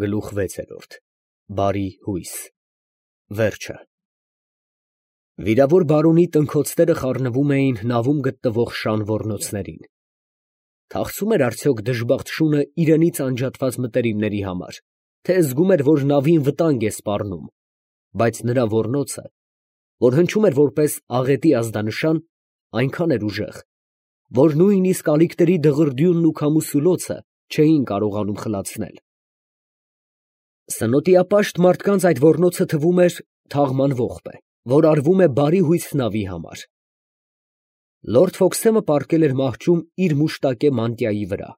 Գլուխ 6 Բարի հույս Վերջը Վիրավոր բարոնի տնքոցները խառնվում էին նավում գտնվող շան ոռնոցներին։ Թախծում էր արդյոք դժբախտ շունը իրենից անջատված մտերիմների համար, թե զգում էր, որ նավին վտանգ է սպառնում, բայց նրա ոռնոցը, որ հնչում էր որպես աղետի ազդանշան, այնքան էր ուժեղ, որ նույնիսկ ալիքների դղրդյունն ու քամուսուլոցը չէին կարողանում խլացնել։ Սնոտիապաշտ մարդկանց այդ ոռնոցը թվում էր թաղման ողբ, որ արվում է բարի հույս նավի համար։ Լորդ Ֆոքսեմը պառկել էր մահճում իր մուշտակե մանտիայի վրա։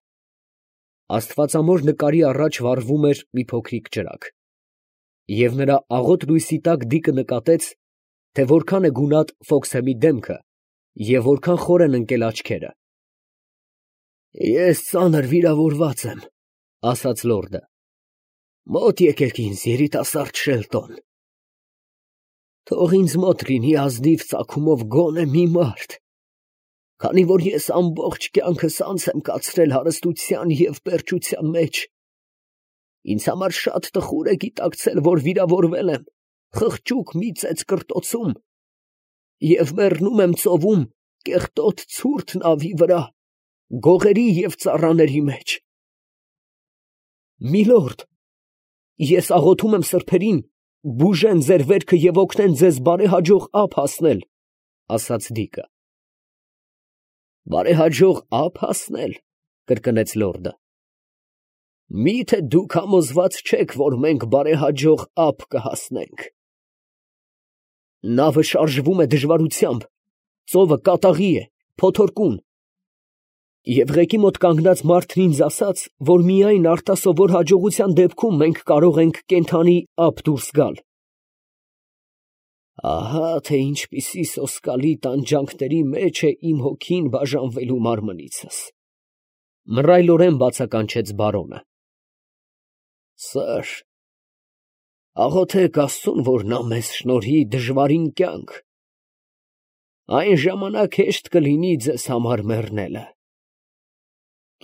Աստվածամոր նկարի առաջ վառվում էր մի փոքրիկ ճրագ, և նրա աղոտ լույսի տակ Դիկը նկատեց, թե որքան է գունատ Ֆոքսեմի դեմքը և որքան խոր են ընկել աչքերը։ «Ես ծանր վիրավորված եմ, ֊ ասաց լորդը, ֊ մոտ եկեք ինձ, երիտասարդ Շելտոն։ Թող ինձ մոտ լինի ազնիվ ծագումով գոնե մի մարդ, քանի որ ես ամբողջ կյանքս անց եմ կացրել հարստության և պերճության մեջ. ինձ համար շատ տխուր է գիտակցել, որ վիրավորվել եմ խղճուկ մի ծեծկռտոցում և մեռնում եմ ծովում կեղտոտ ցուրտ նավի վրա, գողերի և ծառաների մեջ։ Միլորդ, ես աղոթում եմ սրբերին, բուժեն ձեր վերքը և օգնեն ձեզ բարեհաջող ափ հասնել, ֊ ասաց Դիկը։ ֊ Բարեհաջող ափ հասնել, ֊ կրկնեց լորդը։ ֊ Մի՞թե դուք համոզված չեք, որ մենք բարեհաջող ափ կհասնենք։ Նավը շարժվում է դժվարությամբ, ծովը կատաղի է, փոթորկուն, և ղեկի մոտ կանգնած մարդն ինձ ասաց, որ միայն արտասովոր հաջողության դեպքում մենք կարող ենք կենդանի ափ դուրս գալ։ Ահա թե ինչպիսի սոսկալի տանջանքների մեջ է իմ հոգին բաժանվելու մարմնիցս, ֊ մռայլորեն բացականչեց բարոնը։ Սըր, աղոթեք Աստծուն, որ նա մեզ շնորհի դժվարին կյանք, այն ժամանակ հեշտ կլինի ձեզ համար մեռնելը։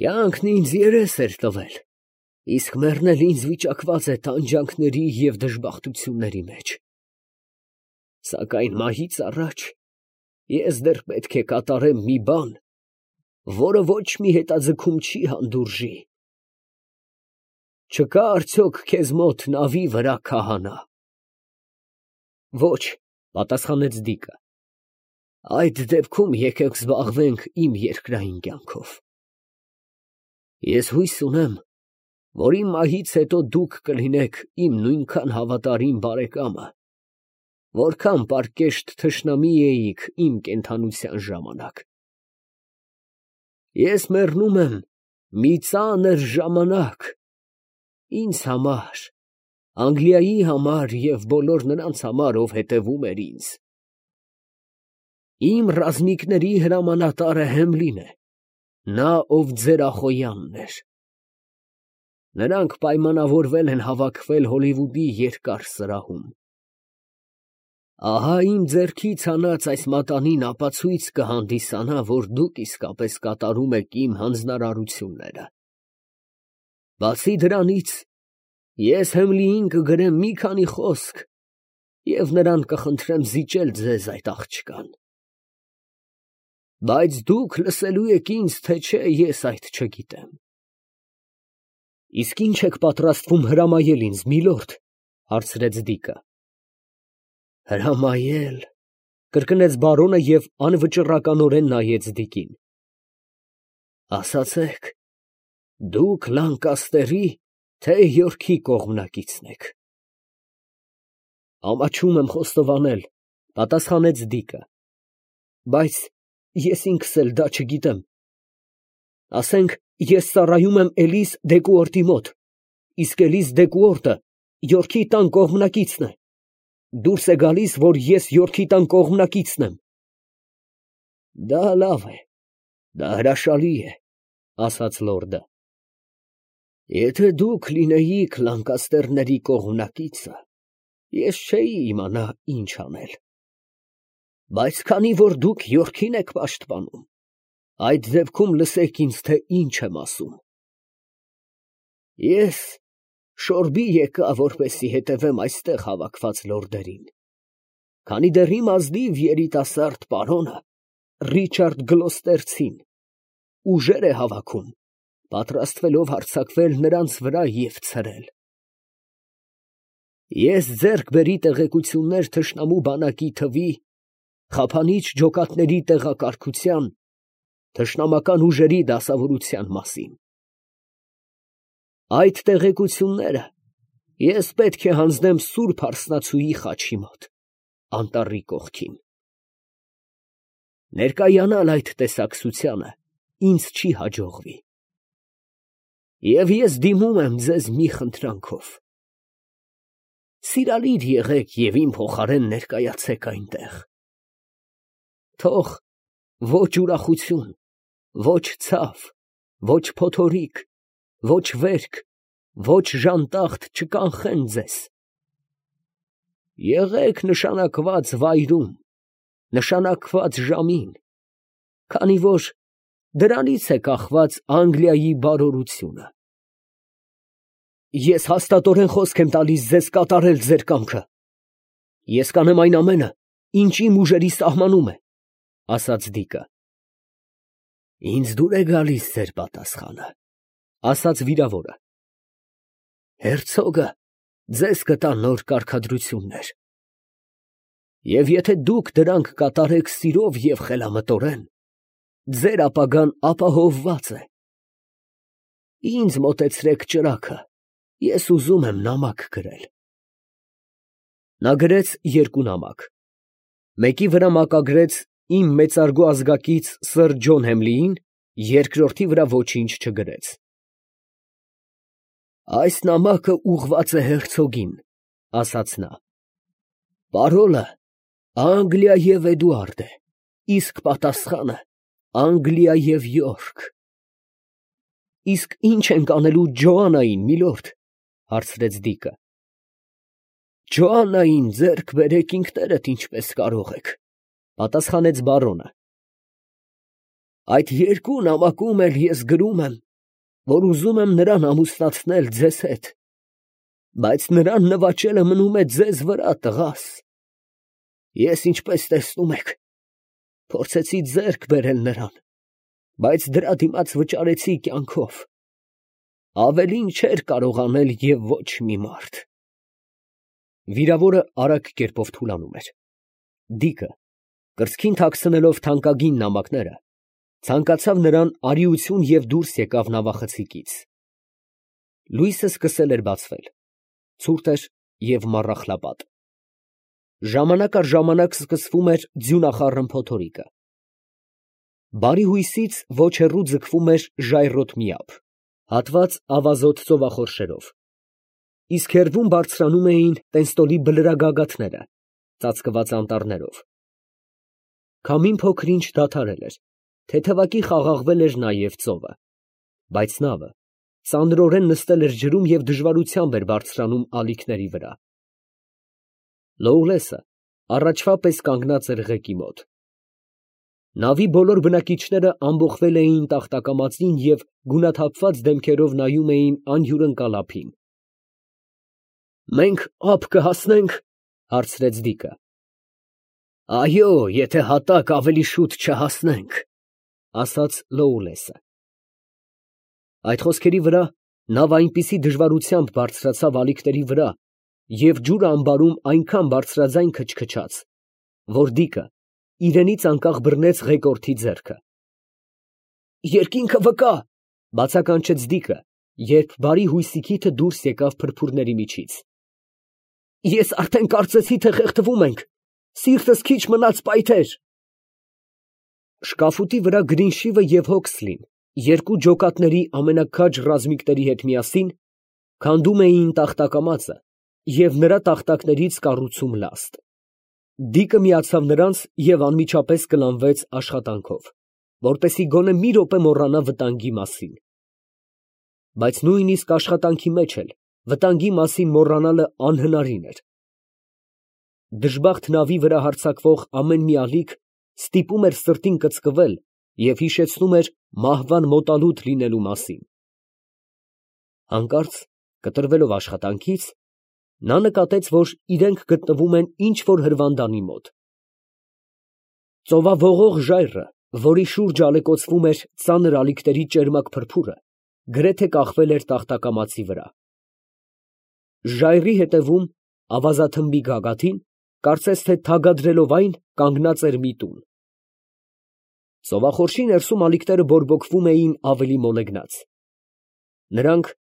Կյանքն ինձ երես էր տվել, իսկ մեռնել ինձ վիճակված է տանջանքների և դժբախտությունների մեջ։ Սակայն մահից առաջ ես դեռ պետք է կատարեմ մի բան, որը ոչ մի հետաձգում չի հանդուրժի։ Չկա՞ արդյոք քեզ մոտ նավի վրա քահանա։ Ոչ, ֊ պատասխանեց Դիկը։ Այդ դեպքում եկեք զբաղվենք իմ երկրային կյանքով։ Ես հույս ունեմ, որ իմ մահից հետո դուք կլինեք իմ նույնքան հավատարիմ բարեկամը, որքան պարկեշտ թշնամի էիք իմ կենդանության ժամանակ։ Ես մեռնում եմ մի ծանր ժամանակ ինձ համար, Անգլիայի համար և բոլոր նրանց համար, ով հետևում էր ինձ։ Իմ ռազմիկների հրամանատարը Հեմլին է, նա, ով ձեր Ախոյանն էր։ Նրանք պայմանավորվել են հավաքվել Հոլիվուդի երկար սրահում։ Ահա իմ ձեռքից հանած այս մատանին ապացույց կհանդիսանա, որ դուք իսկապես կատարում եք իմ հանձնարարությունները։ Բացի դրանից, ես Հեմլիին կգրեմ մի քանի խոսք և նրան կխնդրեմ զիջել ձեզ այդ աղջկան։ Բայց դուք լսելու եք ինձ, թե չէ, ես այդ չգիտեմ։ Իսկ ի՞նչ եք պատրաստվում հրամայել ինձ, միլորդ, ֊ հարցրեց Դիկը։ Հրամայել, ֊ կրկնեց բարոնը և անվճռականորեն նայեց Դիկին։ Ասացեք, դուք Լանկաստերի, թե Յորքի կողմնակիցն եք։ Ամաչում եմ խոստովանել, ֊ պատասխանեց Դիկը, բայց ես ինքս էլ դա չգիտեմ։ Ասենք, ես ծառայում եմ Էլիս Դեկուորտի մոտ, իսկ Էլիս Դեկուորտը Յորքի տան կողմնակիցն է։ Դուրս է գալիս, որ ես Յորքի տան կողմնակիցն եմ։ Դա լավ է, դա հրաշալի է, ֊ ասաց լորդը։ Եթե դուք լինեիք Լանկաստերների կողմնակիցը, ես չէի իմանա ինչ անել։ Բայց քանի որ դուք Յորքին եք պաշտպանում, այդ դեպքում լսեք ինձ, թե ինչ եմ ասում։ Ես շորբի եկա, որպեսի հետևեմ այստեղ հավաքված լորդերին, քանի դեռ իմ ազնիվ երիտասարդ պարոնը Ռիչարդ Գլոստերցին ուժեր է հավաքում, պատրաստվելով հարձակվել նրանց վրա և ցրել։ Ես ձեռք բերի տեղեկություններ թշնամու բանակի թվի, խափանիչ ջոկատների տեղակարգության, թշնամական ուժերի դասավորության մասին։ Այդ տեղեկությունները ես պետք է հանձնեմ Սուրբ Հարսնացուի խաչի մոտ, անտառի կողքին։ Ներկայանալ այդ տեսակցությանը ինձ չի հաջողվի։ Եվ ես դիմում եմ ձեզ մի խնդրանքով. սիրալիր եղեք և իմ փոխարեն ներկայացեք այնտեղ։ Թող ոչ ուրախություն, ոչ ցավ, ոչ փոթորիկ, ոչ վերք, ոչ ժանտախտ չկանխեն ձեզ։ Եղեք նշանակված վայրում, նշանակված ժամին, քանի որ դրանից է կախված Անգլիայի բարօրությունը։ Ես հաստատորեն խոսք եմ տալիս ձեզ կատարել ձեր կամքը։ Ես կանեմ այն ամենը, ինչ իմ ուժերի սահմանում է, ֊ ասաց Դիկը։ Ինձ դուր է գալիս ձեր պատասխանը, ֊ ասաց վիրավորը։ Հերցոգը ձեզ կտա նոր կարգադրություններ, և եթե դուք դրանք կատարեք սիրով և խելամտորեն, ձեր ապագան ապահովված է։ Ինձ մոտեցրեք ճրագը, ես ուզում եմ նամակ գրել։ Նա գրեց երկու նամակ, մեկի վրա մակագրեց իմ մեծարգո ազգակից սըր Ջոն Հեմլիին, երկրորդի վրա ոչինչ չգրեց։ Այս նամակը ուղղված է հերցոգին, ֊ ասաց նա։ Պարոլը Անգլիա և Էդուարդ է, իսկ պատասխանը Անգլիա և Յորք։ Իսկ ի՞նչ ենք անելու Ջոաննային, միլորդ, ֊ հարցրեց Դիկը։ Ջոաննային ձեռք բերեք ինքներդ ինչպես կարող եք, ֊ պատասխանեց բարոնը։ Այդ երկու նամակում էլ ես գրում եմ, որ ուզում եմ նրան ամուսնացնել ձեզ հետ, բայց նրան նվաճելը մնում է ձեզ վրա, տղաս։ Ես, ինչպես տեսնում եք, փորձեցի ձեռք բերել նրան, բայց դրա դիմաց վճարեցի կյանքով։ Ավելին չէր կարող անել և ոչ մի մարդ։ Վիրավորը արագ կերպով թուլանում էր։ Դիկը, կրծքին թաքցնելով թանկագին նամակները, ցանկացավ նրան արիություն և դուրս եկավ նավախցիկից։ Լույսը սկսել էր բացվել, ցուրտ էր և մառախլապատ։ Ժամանակ առ ժամանակ սկսվում էր ձյունախառն փոթորիկը։ Բարի հույսից ոչ հեռու ձգվում էր ժայռոտ միապ, հատված ավազոտ ծովախորշերով, իսկ հեռվում բարձրանում էին Տենստոլի բլրագագաթները, ծածկված անտառներով։ Քամին փոքր-ինչ դադարել էր, թեթևակի խաղաղվել էր նաև ծովը, բայց նավը ծանրորեն նստել էր ջրում և դժվարությամբ էր բարձրանում ալիքների վրա։ Լոուլեսը առաջվա պես կանգնած էր ղեկի մոտ։ Նավի բոլոր բնակիչները ամբոխվել էին տախտակամածին և գունաթափված դեմքերով նայում էին անհյուրընկալ ափին։ Մենք ափ կհասնե՞նք, ֊ հարցրեց Դիկը։ Այո, եթե հատակ ավելի շուտ չհասնենք, ֊ ասաց Լոուլեսը։ Այդ խոսքերի վրա նավը այնպիսի դժվարությամբ բարձրացավ ալիքների վրա և ջուրը ամբարում այնքան բարձրաձայն քչքչաց, որ Դիկը իրենից անկախ բռնեց ղեկորդի ձեռքը։ Երկինքը վկա, ֊ բացականչեց Դիկը, երբ բարի հույսի քիթը դուրս եկավ փրփուրների միջից։ Ես արդեն կարծեցի, թե խեղդվում ենք, սիրտս քիչ մնաց պայթեր։ Շկաֆուտի վրա Գրինշիվը և Հոքսլին, երկու ջոկատների ամենաքաջ ռազմիկների հետ միասին, քանդում էին տախտակամածը և նրա տախտակներից կառուցում լաստ։ Դիկը միացավ նրանց և անմիջապես կլանվեց աշխատանքով, որպեսզի գոնե մի րոպե մոռանա վտանգի մասին։ Բայց նույնիսկ աշխատանքի մեջ էլ վտանգի մասին մոռանալը անհնարին էր։ Դժբախտ նավի վրա հարձակվող ամեն մի ալիք ստիպում էր սրտին կծկվել և հիշեցնում էր մահվան մոտալուտ լինելու մասին։ Հանկարծ Կտրվելով աշխատանքից, նա նկատեց, որ իրենք գտնվում են ինչ֊որ հրվանդանի մոտ։ Ծովափողող ժայռը, որի շուրջ ալեկոծվում էր ծանր ալիքների ճերմակ փրփուրը, գրեթե կախվել էր տախտակամածի վրա։ Ժայռի հետևում ավազաթմբի գագաթին, կարծես թե թագադրելով այն, կանգնած էր մի տուն։ Ծովախորշի ներսում ալիքները բորբոքվում էին ավելի մոլեգնած։ Նրանք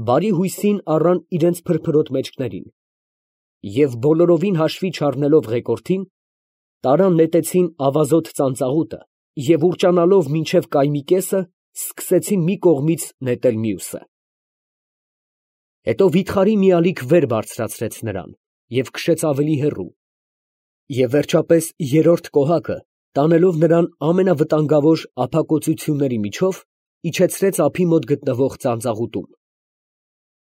բարի հույսին առան իրենց փրփրոտ մեջքներին և բոլորովին հաշվի չառնելով ղեկորդին, տարան նետեցին ավազոտ ծանծաղուտը և ուռճանալով մինչև կայմի կեսը, սկսեցին մի կողմից նետել մյուսը։ Հետո վիթխարի մի ալիք վեր բարձրացրեց նրան և քշեց ավելի հեռու, և վերջապես երրորդ կոհակը, տանելով նրան ամենավտանգավոր ափակոծությունների միջով, իջեցրեց ափի մոտ գտնվող ծանծաղուտում։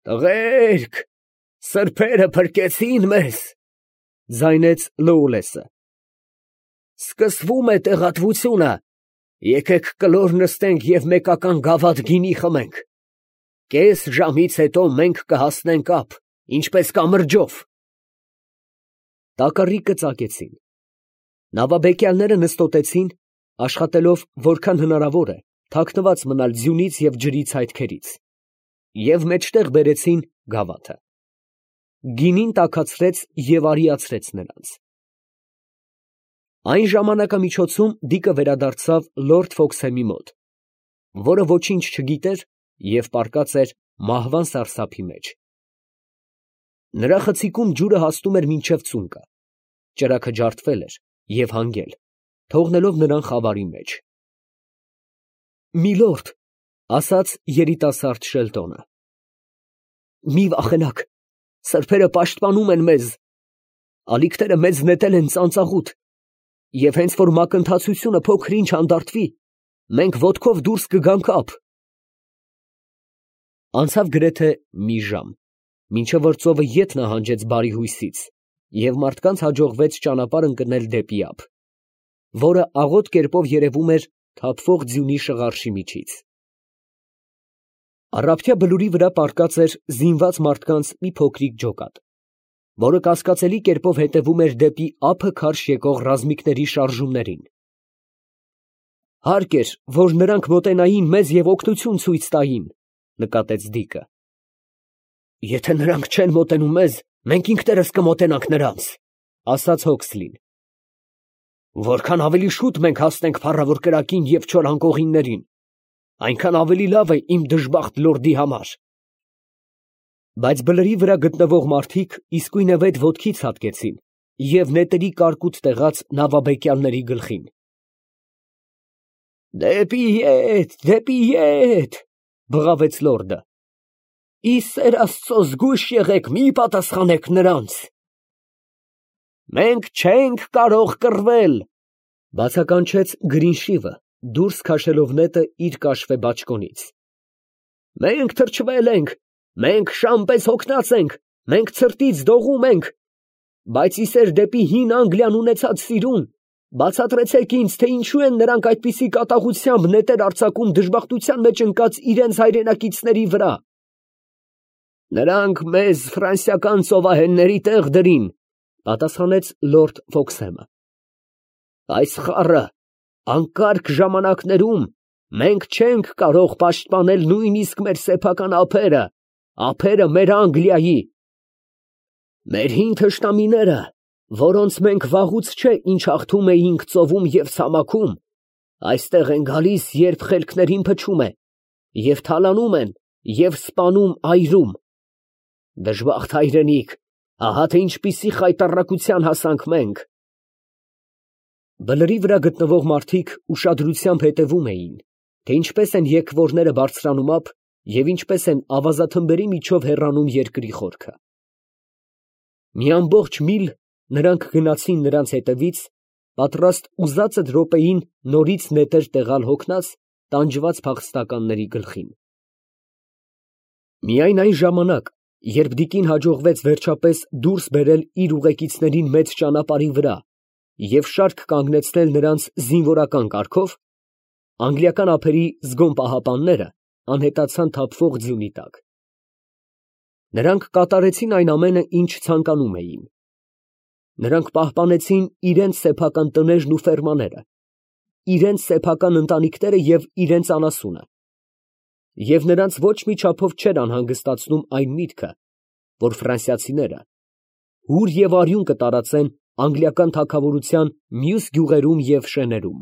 «Տղերք, սրբերը փրկեցին մեզ», ֊ ձայնեց Լոուլեսը։ «Սկսվում է տեղատվությունը, եկեք կլոր նստենք և մեկական գավաթ գինի խմենք։ Կես ժամից հետո մենք կհասնենք ափ, ինչպես կամրջով»։ Տակառիկը ծակեցին։ Նավաբեկյալները նստոտեցին, աշխատելով որքան հնարավոր է թաքնված մնալ ձյունից և ջրից հայթքերից, և մեջտեղ բերեցին գավաթը։ Գինին տաքացրեց և արիացրեց նրանց։ Այն ժամանակամիջոցում Դիկը վերադարձավ լորդ Ֆոքսհեմի մոտ, որը ոչինչ չգիտեր և պառկած էր մահվան սարսափի մեջ։ Նրա խցիկում ջուրը հասնում էր մինչև ծունկը, ճրագը ջարդվել էր և հանգել, թողնելով նրան խավարի մեջ։ «Միլորդ, ֊ ասաց երիտասարդ Շելտոնը, ֊ մի վախենաք, սրբերը պաշտպանում են մեզ, ալիքները մեզ նետել են ծանծաղուտ, և հենց որ մակընթացությունը փոքր֊ինչ հանդարտվի, մենք ոտքով դուրս կգանք ափ»։ Անցավ գրեթե մի ժամ, մինչև որ ծովը ետ նահանջեց բարի հույսից, և մարդկանց հաջողվեց ճանապարհ ընկնել դեպի ափ, որը աղոտ կերպով երևում էր թափվող ձյունի շղարշի միջից։ Առափտյա բլուրի վրա պառկած էր զինված մարդկանց մի փոքրիկ ջոկատ, որը կասկածելի կերպով հետևում էր դեպի ափը քարշ եկող ռազմիկների շարժումներին։ «Հարկ էր, որ նրանք մոտենային մեզ և օգնություն ցույց տային», ֊ նկատեց Դիկը։ «Եթե նրանք չեն մոտենում մեզ, մենք ինքներս կմոտենանք նրանց», ֊ ասաց Հոքսլին։ «Որքան ավելի շուտ մենք հասնենք փառավոր կրակին և չոր անկողիններին, այնքան ավելի լավ է իմ դժբախտ լորդի համար»։ Բայց բլրի վրա գտնվող մարդիկ իսկույնևեթ ոտքի ցատկեցին և նետերի կարկուտ տեղաց նավաբեկյալների գլխին։ «Դեպի ետ, դեպի ետ», ֊ բղավեց լորդը։ «Ի սեր Աստծո, զգույշ եղեք, մի պատասխանեք նրանց»։ «Մենք չենք կարող կռվել», ֊ բացականչեց Գրինշիվը, դուրս քաշելով նետը իր կաշվե բաճկոնից։ «Մենք թրջվել ենք, մենք շան պես հոգնած ենք, մենք ցրտից դողում ենք, բայց ի սեր դեպի հին Անգլիան ունեցած սիրուն, բացատրեցեք ինձ, թե ինչու են նրանք այդպիսի կատաղությամբ նետեր արձակում դժբախտության մեջ ընկած իրենց հայրենակիցների վրա»։ «Նրանք մեզ ֆրանսիական ծովահենների տեղ դրին», ֊ պատասխանեց լորդ Ֆոքսհեմը։ «Այս խառը անկարգ ժամանակներում մենք չենք կարող պաշտպանել նույնիսկ մեր սեփական ափերը, ափերը մեր Անգլիայի։ Մեր հին թշնամիները, որոնց մենք վաղուց չէ ինչ հաղթում էինք ծովում և ցամաքում, այստեղ են գալիս, երբ խելքներին փչում է, և թալանում են և սպանում այրում։ Դժբախտ հայրենիք, ահա թե ինչպիսի խայտառակության հասանք մենք»։ Բլրի վրա գտնվող մարդիկ ուշադրությամբ հետևում էին, թե ինչպես են եկվորները բարձրանում ափ և ինչպես են ավազաթմբերի միջով հեռանում երկրի խորքը։ Մի ամբողջ միլ նրանք գնացին նրանց հետևից, պատրաստ ուզածդ րոպեին նորից նետեր տեղալ հոգնած, տանջված փախստականների գլխին։ Միայն այն ժամանակ, երբ Դիկին հաջողվեց վերջապես դուրս բերել իր ուղեկիցներին մեծ ճանապարհի վրա և շարք կանգնեցնել նրանց զինվորական կարգով, անգլիական ափերի զգոն պահապանները անհետացան թափվող ձյունի տակ։ Նրանք կատարեցին այն ամենը, ինչ ցանկանում էին։ Նրանք պահպանեցին իրենց սեփական տներն ու ֆերմաները, իրենց սեփական ընտանիքները և իրենց անասունը։ Եվ նրանց ոչ մի չափով չէր անհանգստացնում այն միտքը, որ ֆրանսիացիները հուր և արյուն կտարածեն անգլիական թագավորության մյուս գյուղերում և շեներում։